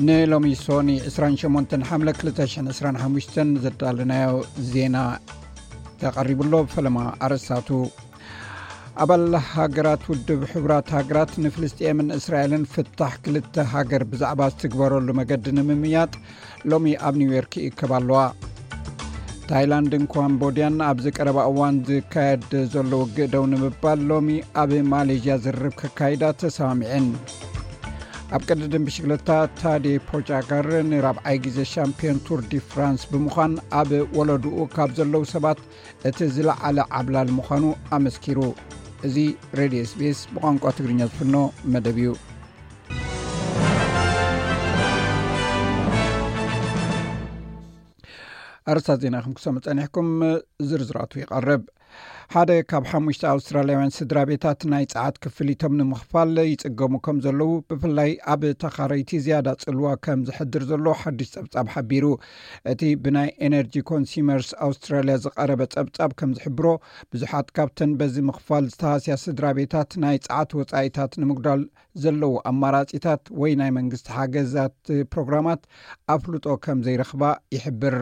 ንሎሚ ሶኒ ዕስራን ሸሞንተን ሓምለ ክልተ ሽሕን ዕስራን ሓሙሽተን ዘዳለናዮ ዜና ተቐሪቡ ኣሎ። ፈለማ ኣርእስታቱ። ኣባል ሃገራት ውድብ ሕቡራት ሃገራት ንፍልስጤምን እስራኤልን ፍታሕ ክልተ ሃገር ብዛዕባ ዝትግበረሉ መገዲ ንምምያጥ ሎሚ ኣብ ኒውዮርክ ይእከባ ኣለዋ። ታይላንድን ካምቦድያን ኣብዚ ቀረባ እዋን ዝካየድ ዘሎ ውግእ ደው ንምባል ሎሚ ኣብ ማሌዥያ ዝርርብ ከካይዳ ተሰማሚዐን። ኣብ ቅድድም ብሽክለታ ታዴ ፖጋቻር ንራብዓይ ግዜ ሻምፒዮን ቱር ዲ ፍራንስ ብምዃን ኣብ ወለድኡ ካብ ዘለዉ ሰባት እቲ ዝለዓለ ዓብላል ምዃኑ ኣመስኪሩ። እዚ ሬድዮ ኤስቢኤስ ብቋንቋ ትግርኛ ዝፍኖ መደብ እዩ። ኣርስታት ዜና ከም ክሰሙ ጸኒሕኩም፣ ዝርዝራቱ ይቐርብ። ሓደ ካብ ሓሙሽተ ኣውስትራልያውያን ስድራ ቤታት ናይ ጸዓት ክፍሊቶም ንምኽፋል ይጽገሙ ከም ዘለዉ፣ ብፍላይ ኣብ ተኻረይቲ ዝያዳ ጽልዋ ከም ዝሕድር ዘሎ ሓድሽ ጸብጻብ ሓቢሩ። እቲ ብናይ ኤነርጂ ኮንሱመርስ ኣውስትራልያ ዝቐረበ ጸብጻብ ከም ዝሕብሮ፣ ብዙሓት ካብተን በዚ ምኽፋል ዝተሃስያ ስድራ ቤታት ናይ ጸዓት ወጻኢታት ንምጉዳል ዘለዉ ኣማራጺታት ወይ ናይ መንግስቲ ሓገዛት ፕሮግራማት ኣፍልጦ ከም ዘይረኽባ ይሕብር።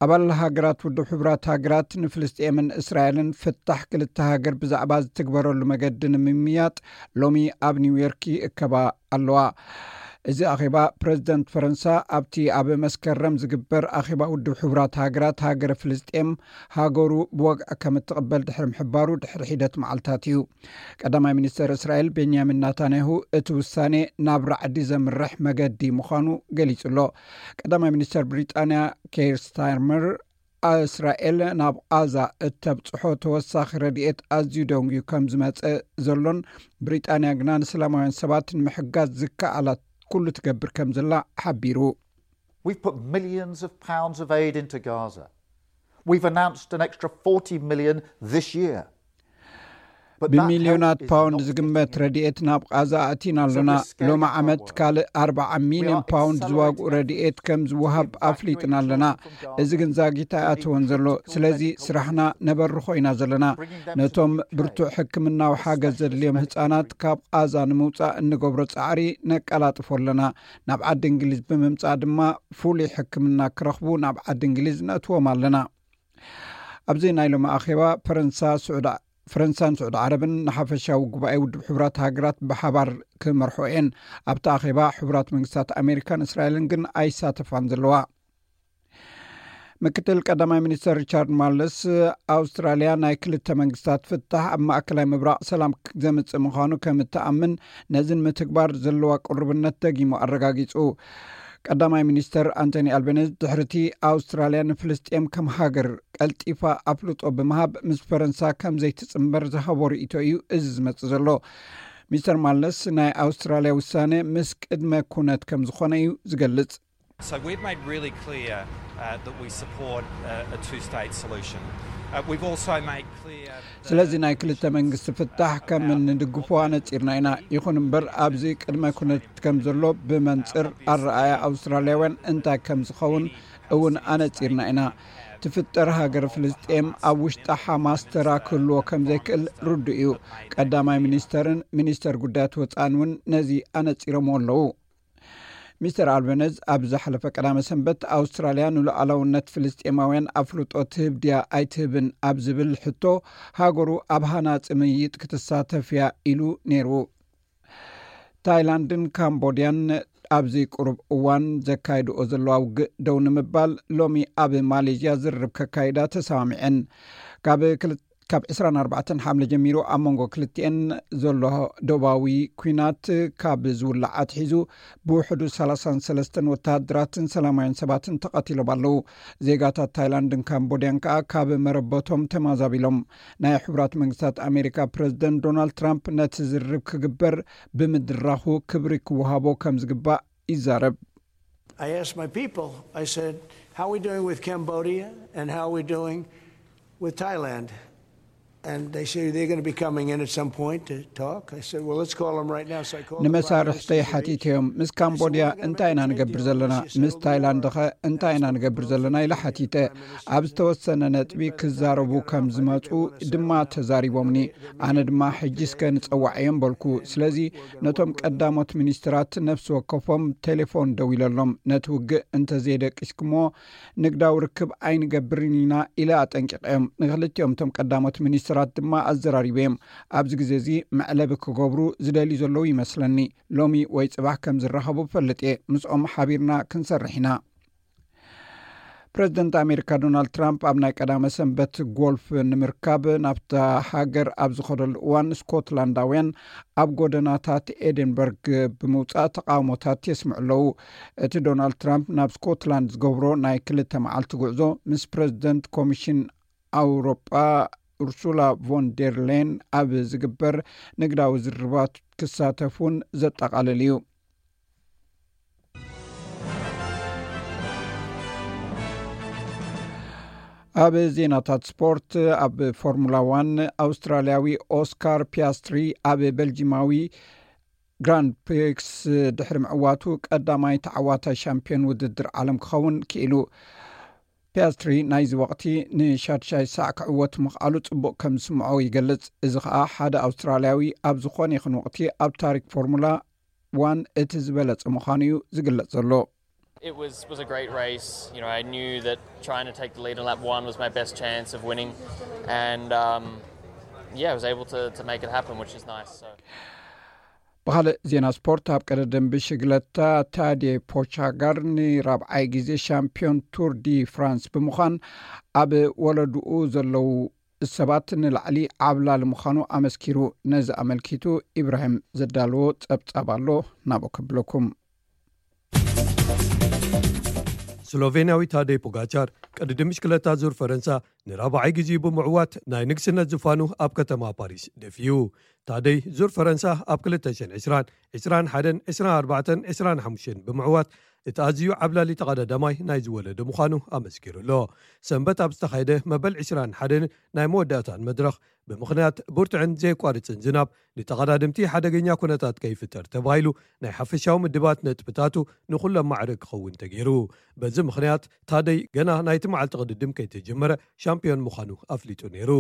ኣባል ሃገራት ውድብ ሕቡራት ሃገራት ንፍልስጤምን እስራኤልን ፍታሕ ክልተ ሃገር ብዛዕባ ዝትግበረሉ መገዲ ንምምያጥ ሎሚ ኣብ ኒውዮርክ ይእከባ ኣለዋ። እዚ ኣኼባ ፕረዚደንት ፈረንሳ ኣብቲ ኣብ መስከረም ዝግበር ኣኼባ ውድብ ሕቡራት ሃገራት ሃገረ ፍልስጤም ሃገሩ ብወግዒ ከም እትቕበል ድሕሪ ምሕባሩ ድሕሪ ሒደት መዓልታት እዩ። ቀዳማይ ሚኒስተር እስራኤል ቤንያሚን ናታንያሁ እቲ ውሳኔ ናብ ራዕዲ ዘምርሕ መገዲ ምዃኑ ገሊጹ ኣሎ። ቀዳማይ ሚኒስተር ብሪጣንያ ኬር ስታርመር፣ እስራኤል ናብ ቓዛ እተብጽሖ ተወሳኺ ረድኤት ኣዝዩ ደንጉዩ ከም ዝመጸ ዘሎን ብሪጣንያ ግና ንሰላማውያን ሰባት ንምሕጋዝ ዝከኣላት ኩሉ ትገብር ከም ዘላ ሓቢሩ። We've put millions of pounds of aid into Gaza. We've announced an extra forty million this year. ብሚልዮናት ፓውንድ ዝግመት ረድኤት ናብ ቓዛ ኣእቲና ኣሎና። ሎሚ ዓመት ካልእ ኣርባዓ ሚልዮን ፓውንድ ዝዋግኡ ረድኤት ከም ዝወሃብ ኣፍሊጥና ኣለና። እዚ ግን ዛጊት ኣይኣተወን ዘሎ። ስለዚ ስራሕና ነበርኾ ኢና ዘለና። ነቶም ብርቱዕ ሕክምናዊ ሓገዝ ዘድልዮም ህጻናት ካብ ቓዛ ንምውጻእ እንገብሮ ጻዕሪ ነቀላጥፎ ኣለና። ናብ ዓዲ እንግሊዝ ብምምጻእ ድማ ፍሉይ ሕክምና ክረኽቡ ናብ ዓዲ እንግሊዝ ነእትዎም ኣለና። ኣብዚ ናይ ሎሚ ኣኼባ ፈረንሳ፣ ስዑድ ፈረንሳን ስዑድ ዓረብን ንሓፈሻዊ ጉባኤ ውድብ ሕቡራት ሃገራት ብሓባር ክመርሖ እየን። ኣብቲ ኣኼባ ሕቡራት መንግስታት ኣሜሪካን እስራኤልን ግን ኣይሳተፋን ዘለዋ። ምክትል ቀዳማይ ሚኒስተር ሪቻርድ ማርለስ፣ ኣውስትራልያ ናይ ክልተ መንግስታት ፍታሕ ኣብ ማእከላይ ምብራቕ ሰላም ዘምጽእ ምዃኑ ከም እትኣምን፣ ነዚ ንምትግባር ዘለዋ ቅሩብነት ደጊሙ ኣረጋጊጹ። ቀዳማይ ሚኒስተር ኣንቶኒ ኣልበነዝ ድሕሪቲ ኣውስትራልያ ንፍልስጤም ከም ሃገር ቀልጢፋ ኣፍልጦ ብምሃብ ምስ ፈረንሳ ከም ዘይትጽንበር ዝሃቦ ርእይቶ እዩ እዚ ዝመጽእ ዘሎ። ሚስተር ማርለስ ናይ ኣውስትራልያ ውሳነ ምስ ቅድመ ኩነት ከም ዝኾነ እዩ ዝገልጽ። So we've made really clear uh, that we support uh, a two-state solution. Uh, we've also made clear that ስለዚ ናይ ክልተ መንግስቲ ፍታሕ ከም እንድግፎ ኣነጺርና ኢና። ይኹን እምበር ኣብዚ ቅድመ ኩነት ከም ዘሎ ብመንጽር ኣረኣያ ኣውስትራልያውያን እንታይ ከም ዝኸውን እውን ኣነጺርና ኢና። ትፍጠር ሃገር ፍልስጤም ኣብ ውሽጢ ሓማስ ተራ ክህልዎ ከም ዘይክእል ርዱእ እዩ። ቀዳማይ ሚኒስተርን ሚኒስተር ጉዳያት ወጻእን እውን ነዚ ኣነጺሮምዎ ኣለዉ። ሚስተር ኣልበነዝ ኣብ ዝሓለፈ ቀዳመ ሰንበት ኣውስትራልያ ንሉዓላውነት ፍልስጤማውያን ኣፍልጦ ትህብ ድያ ኣይትህብን ኣብ ዝብል ሕቶ ሃገሩ ኣብ ሃናጺ ምይይጥ ክትሳተፍ እያ ኢሉ ነይሩ። ታይላንድን ካምቦድያን ኣብዚ ቅሩብ እዋን ዘካይድኦ ዘለዋ ውግእ ደው ንምባል ሎሚ ኣብ ማሌዥያ ዝርርብ ከካይዳ ተሰማሚዐን። ካብ ክል- ካብ ዕስራን ኣርባዕተን ሓምለ ጀሚሩ ኣብ መንጎ ክልቲኤን ዘሎ ዶባዊ ኲናት ካብ ዝውላዕ ኣትሒዙ ብውሕዱ ሰላሳን ሰለስተን ወተሃደራትን ሰላማውያን ሰባትን ተቐቲሎም ኣለዉ። ዜጋታት ታይላንድን ካምቦድያን ከኣ ካብ መረበቶም ተማዛቢሎም። ናይ ሕቡራት መንግስታት ኣሜሪካ ፕረዚደንት ዶናልድ ትራምፕ ነቲ ዝርርብ ክግበር ብምድራኹ ክብሪ ክወሃቦ ከም ዝግባእ ይዛረብ። I asked my people, I said, how are we doing with Cambodia and how are we doing with Thailand? And they say they're going to be coming in at some point to talk. I said, "Well, let's call them right now." So I called the Prime ንመሳርሕተይ Minister's ሓቲተዮም፣ ምስ ካምቦድያ እንታይ ኢና ንገብር ዘለና? ምስ ታይላንድኸ እንታይ ኢና ንገብር ዘለና? ኢለ ሓቲተ። ኣብ ዝተወሰነ ነጥቢ ክዛረቡ ከም ዝመፁ ድማ ተዛሪቦምኒ። ኣነ ድማ ሕጂ እስከ ንፀዋዕ እዮም በልኩ። ስለዚ ነቶም ቀዳሞት ሚኒስትራት ነፍሲ ወከፎም ቴሌፎን ደዊለሎም፣ ነቲ ውግእ እንተዘይደቂስኩሞ ንግዳዊ ርክብ ኣይንገብርን ኢና ኢለ ኣጠንቂቐዮም። ንክልቲኦም እቶም ቀዳሞት ሚኒስትራት ድማ ኣዘራሪበዮም። ኣብዚ ግዜ እዚ መዕለቢ ክገብሩ ዝደልዩ ዘለዉ ይመስለኒ። ሎሚ ወይ ጽባሕ ከም ዝራኸቡ ፈልጥ እየ። ምስኦም ሓቢርና ክንሰርሕ ኢና። ፕረዚደንት ኣሜሪካ ዶናልድ ትራምፕ ኣብ ናይ ቀዳመ ሰንበት ጎልፍ ንምርካብ ናብታ ሃገር ኣብ ዝኸደሉ እዋን፣ ስኮትላንዳውያን ኣብ ጎደናታት ኤደንበርግ ብምውጻእ ተቃውሞታት የስምዑ ኣለዉ። እቲ ዶናልድ ትራምፕ ናብ ስኮትላንድ ዝገብሮ ናይ ክልተ መዓልቲ ጉዕዞ፣ ምስ ፕረዚደንት ኮሚሽን ኣውሮጳ ኡርሱላ ቮን ዴር ሌን ኣብ ዝግበር ንግዳዊ ዝርርባት ክሳተፍ እውን ዘጠቓልል እዩ። ኣብ ዜናታት ስፖርት፣ ኣብ ፎርሙላ ዋን፣ ኣውስትራልያዊ ኦስካር ፒያስትሪ ኣብ በልጂማዊ ግራንድ ፕሪክስ ድሕሪ ምዕዋቱ፣ ቀዳማይ ተዓዋታይ ሻምፒዮን ውድድር ዓለም ክኸውን ክኢሉ። ፒያስትሪ ናይዚ ወቕቲ ንሻድሻይ ሳዕ ክዕወት ምኽኣሉ ጽቡቕ ከም ዝስምዖ ይገልጽ። እዚ ኸኣ ሓደ ኣውስትራልያዊ ኣብ ዝኾነ ይኹን ወቕቲ ኣብ ታሪክ ፎርሙላ ዋን እቲ ዝበለጸ ምዃኑ እዩ ዝግለጽ ዘሎ። It was was a great race. You know, I knew that trying to take the lead in lap one was my best chance of winning, and um, yeah, I was able to, to make it happen, which is nice. So. ብኻልእ ዜና ስፖርት፣ ኣብ ቀደደም ብሽግለታ ታዴ ፖቻጋር ንራብዓይ ግዜ ሻምፒዮን ቱር ዲ ፍራንስ ብምዃን፣ ኣብ ወለድኡ ዘለዉ ሰባት ንላዕሊ ዓብላሊ ምዃኑ ኣመስኪሩ። ነዚ ኣመልኪቱ ኢብራሂም ዘዳለዎ ጸብጻብ ኣሎ፣ ናብኡ ከብለኩም። ስሎቬንያዊ ታደይ ፖጋቻር ቅድድም ብሽክለታ ዙር ፈረንሳ ንራብዓይ ግዜኡ ብምዕዋት ናይ ንግስነት ዝፋኑ ኣብ ከተማ ፓሪስ ደፊኡ። ታደይ ዙር ፈረንሳ ኣብ ክልተ ሽሕን ዕስራን፣ ዕስራን ሓደን፣ ዕስራን ኣርባዕተን፣ ዕስራን ሓሙሽተን ብምዕዋት እቲ ኣዝዩ ዓብላሊ ተቐዳዳማይ ናይ ዝወለደ ምዃኑ ኣመስኪሩ ኣሎ። ሰንበት ኣብ ዝተኻየደ መበል ዕስራን ሓደን ናይ መወዳእታን መድረኽ፣ ብምኽንያት ብርቱዕን ዘየቋርጽን ዝናብ ንተቐዳደምቲ ሓደገኛ ኩነታት ከይፍጠር ተባሂሉ ናይ ሓፈሻዊ ምድባት ነጥብታቱ ንኹሎም ማዕረ ክኸውን ተገይሩ። በዚ ምኽንያት ታደይ ገና ናይቲ መዓልቲ ቅድድም ከይተጀመረ ሻምፒዮን ምዃኑ ኣፍሊጡ ነይሩ።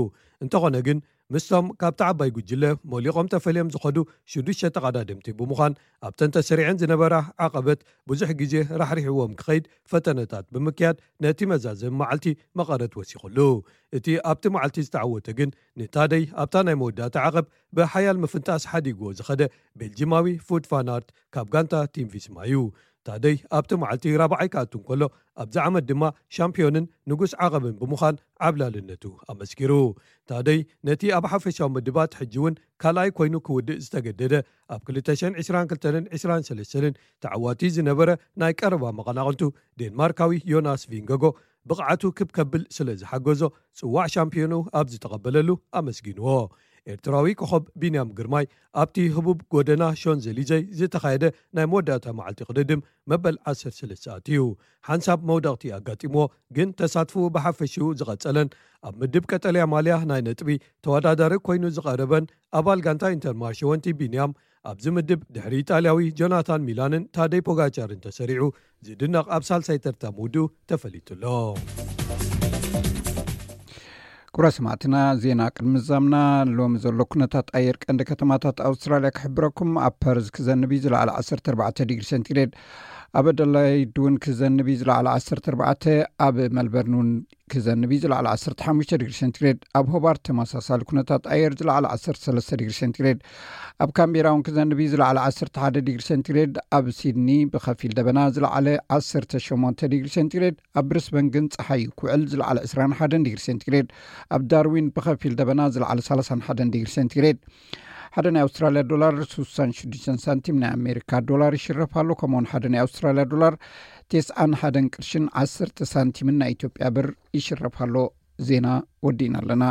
እንተኾነ ግን ምስቶም ካብቲ ዓባይ ጉጅለ ሞሊቖም ተፈልዮም ዝኸዱ ሽዱሽተ ተቐዳደምቲ ብምዃን ኣብተን ተሰሪዐን ዝነበራ ዓቐበት ብዙሕ ግዜ ራሕሪሕዎም ክኸይድ ፈተነታት ብምክያድ ነቲ መዛዘሚ መዓልቲ መቐረት ወሲኹሉ። እቲ ኣብቲ መዓልቲ ዝተዓወተ ግን ንታደይ ኣብታ ናይ መወዳእታ ዓቐብ ብሓያል ምፍንጣስ ሓዲግዎ ዝኸደ ቤልጂማዊ ፉድ ፋናርት ካብ ጋንታ ቲም ቪስማ እዩ። ታደይ ኣብቲ መዓልቲ ራብዓይ ክኣቱ እንከሎ ኣብዚ ዓመት ድማ ሻምፒዮንን ንጉስ ዓቐብን ብምዃን ዓብላልነቱ ኣመስኪሩ። ታደይ ነቲ ኣብ ሓፈሻዊ ምድባት ሕጂ እውን ካልኣይ ኮይኑ ክውድእ ዝተገደደ ኣብ ክልተ ሽሕን ዕስራን ክልተን ዕስራን ሰለስተን ተዓዋቲ ዝነበረ ናይ ቀረባ መቐናቕንቱ ዴንማርካዊ ዮናስ ቪንገጎ ብቕዓቱ ክብ ከብል ስለ ዝሓገዞ ጽዋዕ ሻምፒዮኑ ኣብ ዝተቐበለሉ ኣመስጊንዎ። ኤርትራዊ ኮኸብ ቢንያም ግርማይ ኣብቲ ህቡብ ጎደና ሾንዘሊዘ ዝተኻየደ ናይ መወዳእታ መዓልቲ ቅድድም መበል ዓሰርተ ሰለስተ ኣትዩ። ሓንሳብ መውደቕቲ ኣጋጢምዎ፣ ግን ተሳትፍኡ ብሓፈሽኡ ዝቐጸለን ኣብ ምድብ ቀጠልያ ማልያ ናይ ነጥቢ ተወዳዳሪ ኮይኑ ዝቐረበን ኣባል ጋንታ ኢንተርማርሸ ወንቲ ቢንያም ኣብዚ ምድብ ድሕሪ ኢጣልያዊ ጆናታን ሚላንን ታደይ ፖጋቻርን ተሰሪዑ ዝድነቕ ኣብ ሳልሳይ ተርታ ምውድኡ ተፈሊጡ ኣሎ። ክቡራ ሰማዕትና፣ ዜና ቅድሚ ዛምና ሎሚ ዘሎ ኩነታት ኣየር ቀንዲ ከተማታት ኣውስትራልያ ክሕብረኩም። ኣብ ፐርዝ ክዘንብ እዩ፣ ዝለዓለ ዓሰርተ ኣርባዕተ ዲግሪ ሴንቲግሬድ። ኣብ ኣደላይድ እውን ክዘንብ እዩ፣ ዝለዓለ ዓሰርተ ኣርባዕተ። ኣብ መልበርን እውን ክዘንብ እዩ፣ ዝለዓለ ዓሰርተ ሓሙሽተ ዲግሪ ሴንቲግሬድ። ኣብ ሆባርት ተመሳሳሊ ኩነታት ኣየር፣ ዝለዓለ ዓሰርተ ሰለስተ ዲግሪ ሴንቲግሬድ። ኣብ ካምቤራ እውን ክዘንብ እዩ፣ ዝለዓለ ዓሰርተ ሓደ ዲግሪ ሴንቲግሬድ። ኣብ ሲድኒ ብኸፊል ደበና፣ ዝለዓለ ዓሰርተ ሸሞንተ ዲግሪ ሴንቲግሬድ። ኣብ ብሪስበን ግን ጸሓይ ክውዕል፣ ዝለዓለ ዕስራን ሓደን ዲግሪ ሴንቲግሬድ። ኣብ ዳርዊን ብኸፊል ደበና፣ ዝለዓለ ሰላሳን ሓደን ዲግሪ ሴንቲግሬድ። ሓደ ናይ ኣውስትራልያ ዶላር ስሳን ሽዱሽተን ሳንቲም ናይ ኣሜሪካ ዶላር ይሽረፍ ኣሎ። ከምኡውን ሓደ ናይ ኣውስትራልያ ዶላር ተስዓን ሓደን ቅርሽን ዓሰርተ ሳንቲምን ናይ ኢትዮጵያ ብር ይሽረፍ ኣሎ። ዜና ወዲእና ኣለና።